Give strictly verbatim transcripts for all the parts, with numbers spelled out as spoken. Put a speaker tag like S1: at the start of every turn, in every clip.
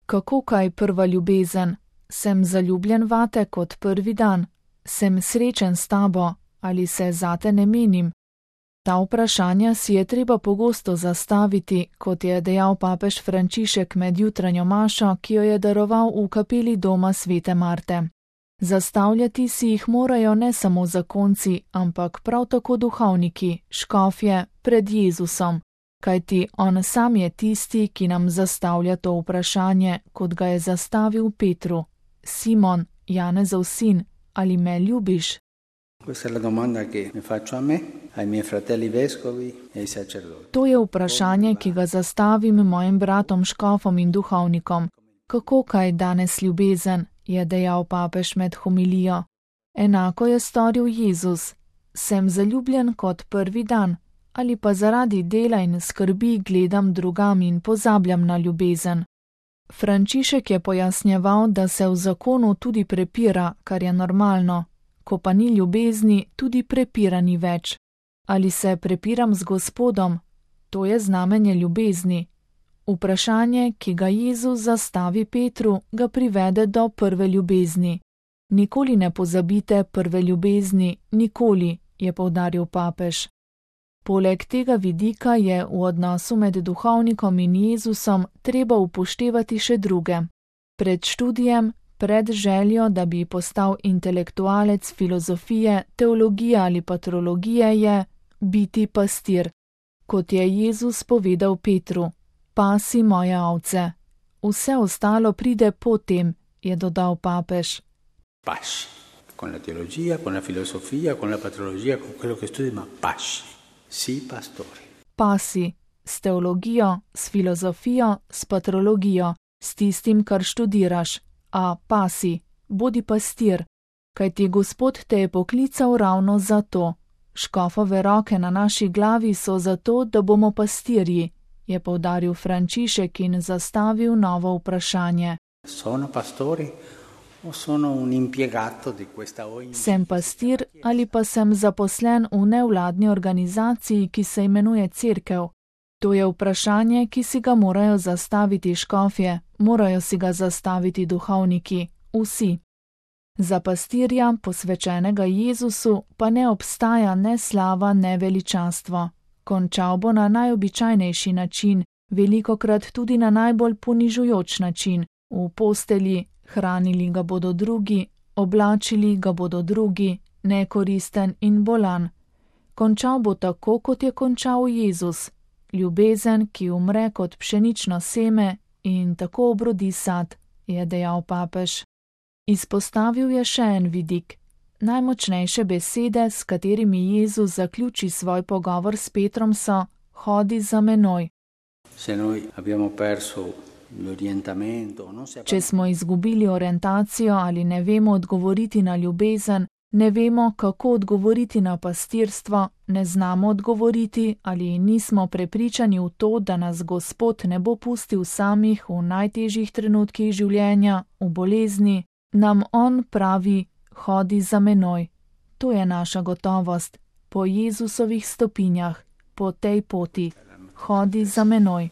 S1: Kako kaj prva ljubezen? Sem zaljubljen vate kot prvi dan? Sem srečen s tabo ali se zate ne menim? Ta vprašanja si je treba pogosto zastaviti, kot je dejal papež Frančišek med jutranjo mašo, ki jo je daroval v kapeli doma svete Marte. Zastavljati si jih morajo ne samo zakonci, ampak prav tako duhovniki, škofje, pred Jezusom, kajti on sam je tisti, ki nam zastavlja to vprašanje, kot ga je zastavil Petru. Simon, Janezov sin, ali me ljubiš?
S2: Questa è la domanda che mi faccio a me, ai miei fratelli vescovi e ai sacerdoti.
S1: To je vprašanje, ki ga zastavim mojim bratom škofom in duhovnikom. Kako kaj danes ljubezen, je dejal papež med homilijo. Enako je storil Jezus. Sem zaljubljen kot prvi dan, ali pa zaradi dela in skrbi gledam drugam in pozabljam na ljubezen. Frančišek je pojasnjeval, da se v zakonu tudi prepira, kar je normalno. Ko pa ni ljubezni, tudi prepira ni več. Ali se prepiram z Gospodom? To je znamenje ljubezni. Vprašanje, ki ga Jezus zastavi Petru, ga privede do prve ljubezni. Nikoli ne pozabite prve ljubezni, nikoli, je poudaril papež. Poleg tega vidika je v odnosu med duhovnikom in Jezusom treba upoštevati še druge. Pred študijem, pred željo, da bi postal intelektualec filozofije, teologije ali patrologije, je biti pastir. Kot je Jezus povedal Petru, pasi moje ovce. Vse ostalo pride potem, je dodal papež.
S2: Pasci, con la teologia, con la filosofia, con la patrologia, con quello che studi, ma pasci, si pastori.
S1: Pasi, s teologijo, s filozofijo, s patrologijo, s tistim, kar študiraš. A pasi, bodi pastir, kajti Gospod te je poklical ravno za to. Škofove roke na naši glavi so zato, da bomo pastirji, je poudaril Frančišek in zastavil novo vprašanje.
S2: Sono pastori o sono un impiegato di questa O N G?
S1: Sem pastir ali pa sem zaposlen v nevladni organizaciji, ki se imenuje Cerkev? To je vprašanje, ki si ga morajo zastaviti škofje, morajo si ga zastaviti duhovniki, vsi. Za pastirja, posvečenega Jezusu, pa ne obstaja ne slava, ne veličastvo. Končal bo na najobičajnejši način, velikokrat tudi na najbolj ponižujoč način, v postelji, hranili ga bodo drugi, oblačili ga bodo drugi, nekoristen in bolan. Končal bo tako, kot je končal Jezus. Ljubezen, ki umre kot pšenično seme in tako obrodi sad, je dejal papež. Izpostavil je še en vidik. Najmočnejše besede, s katerimi Jezus zaključi svoj pogovor s Petrom, so: hodi za menoj. Če smo izgubili orientacijo ali ne vemo odgovoriti na ljubezen, ne vemo, kako odgovoriti na pastirstvo, ne znamo odgovoriti ali nismo prepričani v to, da nas Gospod ne bo pustil samih v najtežjih trenutkih življenja, v bolezni, nam on pravi: hodi za menoj. To je naša gotovost, po Jezusovih stopinjah, po tej poti. Hodi za menoj.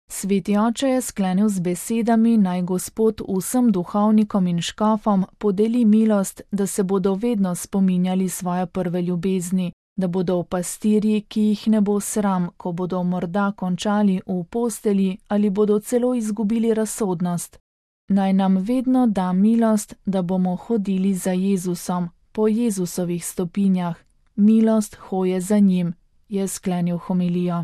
S1: Sveti oče je sklenil z besedami, naj Gospod vsem duhovnikom in škofom podeli milost, da se bodo vedno spominjali svoje prve ljubezni, da bodo pastirji, ki jih ne bo sram, ko bodo morda končali v postelji ali bodo celo izgubili razsodnost. Naj nam vedno da milost, da bomo hodili za Jezusom, po Jezusovih stopinjah. Milost hoje za njim, je sklenil homilijo.